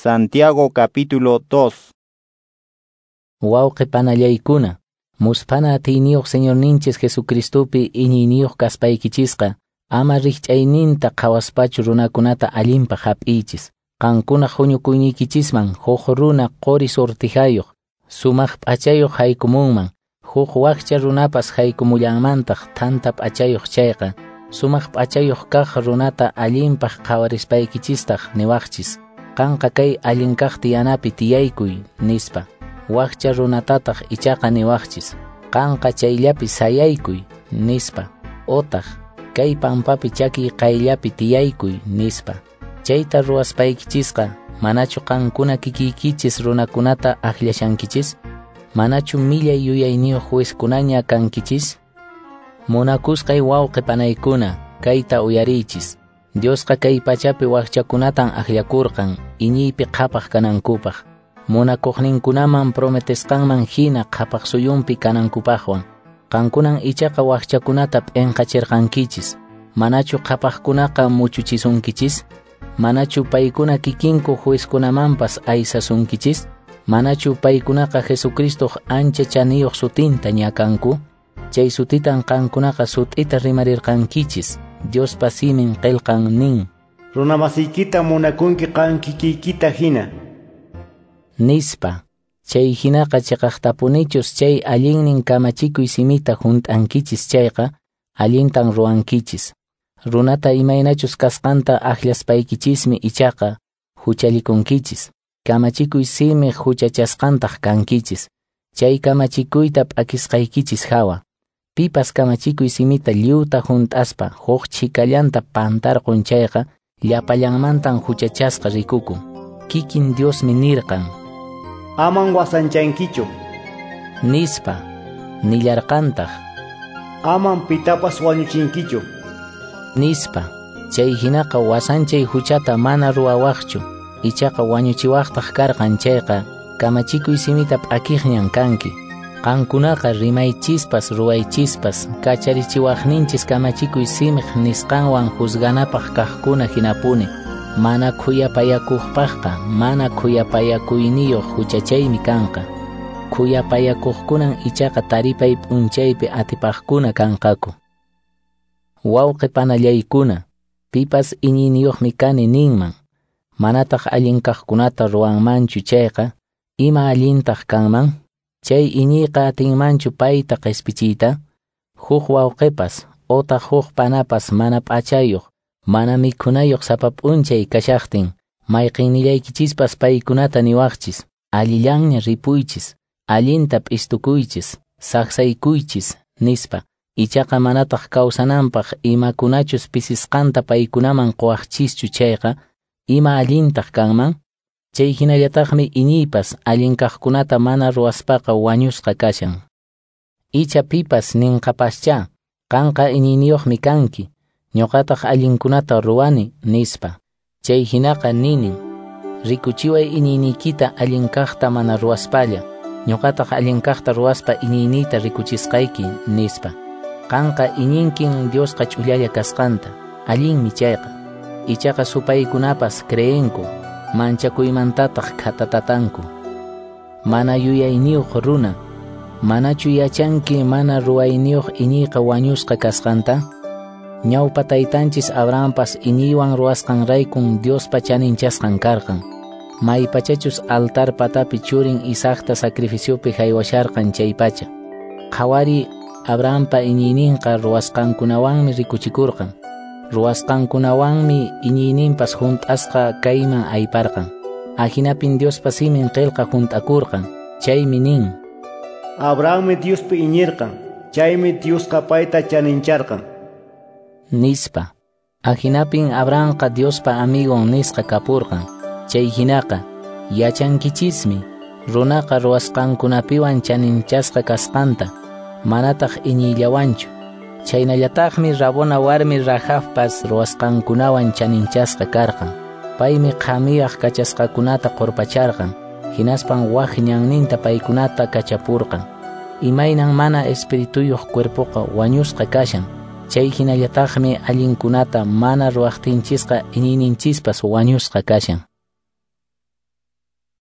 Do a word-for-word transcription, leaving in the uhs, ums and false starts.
Santiago capítulo dos. Wawqi panallaykuna, musphana atiyniyuq Señorninchis Jesucristopi iñiyniyuq kaspaykichisqa, ama rikch'ayninta qhawaspachu runakunata allinpaq hap'iychis. Qankunaq huñukuyniykichisman huk runa quri sortijayuq, sumaq p'achayuq haykumunman, huk wakcha runapas haykumullanmantaq thanta p'achayuq chayqa, sumaq p'achayuq kaq runata allinpaq qhawarispaykichistaj niwaqchis, qanqa kay allin kaq tiyanapi tiyaykuy, nispa. Wakcha runatataq ichaqa niwaqchis, qanqa chayllapi sayaykuy, nispa. Otaq, kay pampapi chakiy qayllapi tiyaykuy, nispa. Chayta ruwaspaykichisqa, manachu qankuna kikiykichis runakunata akllashankichis? Manachu millay yuyayniyuq juezkunaña kankichis? Munakusqay wawqi panaykuna, kayta uyariychis. Diosqa kay pachapi wakchakunatan akllakurqan, iñiypi qhapaq kanankupaq. Munakuqninkunaman prometesqanman hina qhapaq suyunpi kanankupaqwan. Qankunan ichaqa wakchakunata p'inqachirqankichis. Manachu qhapaqkunaqa muchuchisunkichis? Manachu paykuna kikinku juezkunamanpas aysasunkichis? Manachu paykunaqa Jesucristoq ancha chaniyuq sutinta ñakanku? Chay sutitan qankunaqa sut'ita rimarirqankichis. Diospa simin qillqan nin: Runamasiykita munakunki qan kikiykita hina. Nispa. Chay hinaqa chiqaqtapunichus chay allinnin kamachikuy simita hunt'ankichis chayqa, allintan ruwankichis. Runata imaynachus kasqanta akllashpaykichismi ichaqa huchallikunkichis. Kamachikuy simiq huchachasqantaq kankichis. Chay kamachikuyta p'akisqaykichis hawa. Pipas kamachikuy simita lliwta hunt'aspa huk chhikallanta pantarqun chayqa, llapallanmantan huchachasqa rikukun. Kikin Diosmi nirqan: Aman wasanchankichu, nispa. Nillarqantaq: Aman pitapas wañuchinkichu, nispa. Chay hinaqa wasanchay huchata mana ruwawaqchu, ichaqa wañuchiwaqtaq karqan chayqa, kamachikuy simita p'akiqñan kanki. Qankunaqa rimaychispas ruwaychispas kacharichiwaqninchis kamachikuy simiq nisqanwan juzganapaq kaqkuna hinapuni. Mana khuyapayakuqpaqqa mana khuyapayakuyniyuq huchachaymi kanqa. Khuyapayakuqkunan ichaqa taripay p'unchaypi atipaqkuna kanqaku. Wawqi panallaykuna, pipas iñiyniyuqmi kani ninman, manataq allin kaqkunata ruwanmanchu chayqa, ima allintaq kanman? Chay iñiyqa atinmanchu payta qispichiyta? Huk wawqipas otaq huk panapas mana p'achayuq, mana mikhunayuq sapa p'unchay kashaqtin, mayqinnillaykichispas paykunata niwaqchis, allillanña ripuychis, allinta p'istukuychis, saqsaykuychis, nispa. Ichaqa manataq kawsananpaq imakunachus pisisqanta paykunaman quwaqchischu chayqa, ima allintaq kanman? Chay hinallataqmi iñiypas allin kaqkunata mana ruwaspaqa wañusqa kashan. Icha pipas ninqapaschá, qanqa iñiyniyuqmi kanki, ñuqataq allinkunata ruwani, nispa. Chay hinaqa ninin: rikuchiway iñiyniykita allin kaqta mana ruwaspalla, ñuqataq allin kaqta ruwaspa iñiyniyta rikuchisqayki, nispa. Qanqa iñinkin Diosqa ch'ullalla kasqanta, allinmi chayqa. Ichaqa supaykunapas creenku, manchakuymantataq khatatatanku. Mana yuyayniyuq runa, manachu yachanki mana ruwayniyuq iñiyqa wañusqa kasqanta? Ñawpa taytanchis Abrahampas iñiywan ruwasqanraykun Diospa chaninchasqan karqan. Maypachachus altar patapi churin Isaacta sacrificiopi haywasharqan chaypacha. Qhawari Abrahampa iñiyninqa ruwasqankunawanmi rikuchikurqan. Ruwasqankunawanmi iñiyninpas hunt'asqa kayman ayparqan. Ahinapin Diospa simin qillqa hunt'akurqan. Chaymi nin: Abrahammi Diospi iñirqan, chaymi Diosqa payta chanincharqan, nispa. Ahinapin Abrahamqa Diospa amigon nisqa kapurqan. Chay hinaqa, yachankichismi runaqa ruwasqankunapiwan chaninchasqa kasqanta, manataq iñiyllawanchu. Chaynallataqmi rabona warmi Rahabpas ruwasqankunawan chaninchasqa karqan. Paymi qhamiyaq kachasqakunata qurpacharqan, hinaspan wak ñanninta paykunata kachapurqan. Imaynan mana espirituyuq cuerpoqa wañusqa kashan, chay hinallataqmi allinkunata mana ruwaqtinchisqa iñiyninchispas wañusqa kashan.